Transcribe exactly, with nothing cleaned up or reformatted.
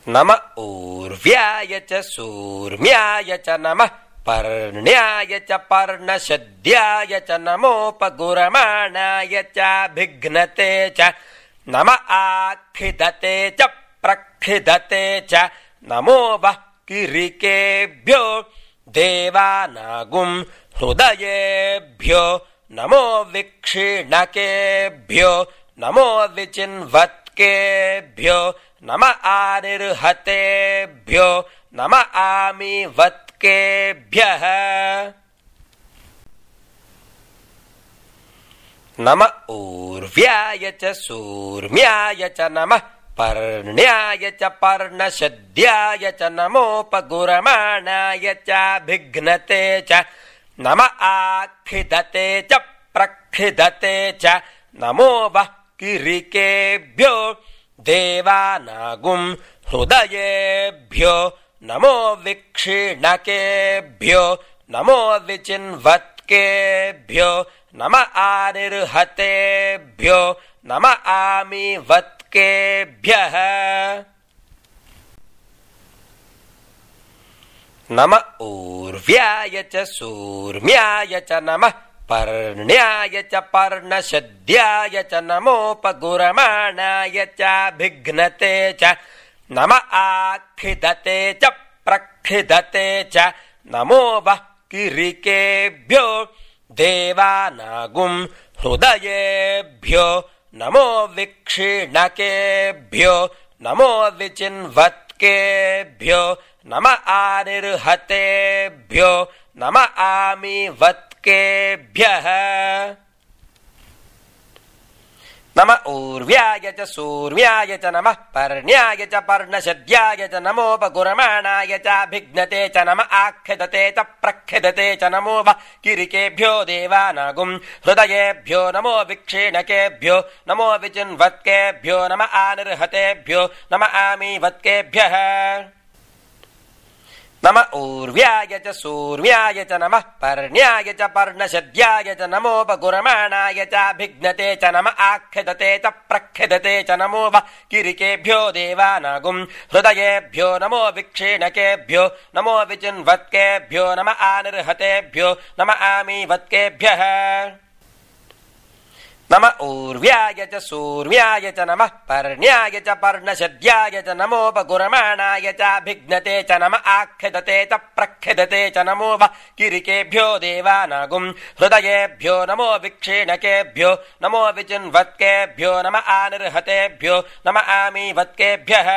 नम ऊर्व्याय च सूर्म्याय च नमः पर्ण्याय च पर्णशद्याय च नमोपगुरमाणाय चाभिघ्नते च नम आक्षिदते च प्रक्षिदते च नमो वः किरीकेभ्यो देवानागुं हृदयेभ्यो नमो विक्षीणकेभ्यो नमो विचिन्वत्केभ्यो नम आनिर्हतेभ्यो नम आमीवत्केभ्यः नम ऊर्व्याय च सूर्म्याय च नमः पर्ण्याय च पर्णशद्याय च नमोपगुरमाणाय चाभिघ्नते च नम आक्षिदते च प्रक्षिदते च नमो वः किरीकेभ्यो देवानागुं हृदयेभ्यो नमो विक्षीणकेभ्यो नमो विचिन्वत्केभ्यो नम आनिर्हतेभ्यो नम आमीवत्केभ्यः नम ऊर्व्याय च सूर्म्याय च नमः पर्ण्याय च पर्णशद्याय च नमोपगुरमाणाय चाभिघ्नते च नम आक्षिदते च प्रक्षिदते च नमो वः किरीकेभ्यो देवानागुं हृदयेभ्यो नमो विक्षीणकेभ्यो नमो विचिन्वत्केभ्यो नम आनिर्हतेभ्यो नम आमीवत्केभ्यः नम ऊर्व्याय च सूर्म्याय च नमः पर्ण्याय च पर्णशद्याय च नमोपगुरमाणाय चाभिघ्नते च नम आक्षिदते च प्रक्षिदते च नमो वः किरीकेभ्यो देवानागुं हृदयेभ्यो नमो विक्षीणकेभ्यो नमो विचिन्वत्केभ्यो नम आनिर्हतेभ्यो नम आमीवत्केभ्यः नम ऊर्व्याय च सूर्म्याय च नमः पर्ण्याय च पर्णशद्याय च नमोपगुरमाणाय चाभिघ्नते च नम आक्षिदते च प्रक्षिदते च नमो वः किरीकेभ्यो देवानागुं हृदयेभ्यो नमो विक्षीणकेभ्यो नमो विचिन्वत्केभ्यो नम आनिर्हतेभ्यो नम आमीवत्केभ्यः नम ऊर्व्याय च सूर्म्याय च नमः पर्ण्याय च पर्णशद्याय च नमोपगुरमाणाय चाभिघ्नते च नम आक्षिदते च प्रक्षिदते च नमो वः किरीकेभ्यो देवानागुं हृदयेभ्यो नमो विक्षीणकेभ्यो नमो विचिन्वत्केभ्यो नम आनिर्हतेभ्यो नम आमीवत्केभ्यः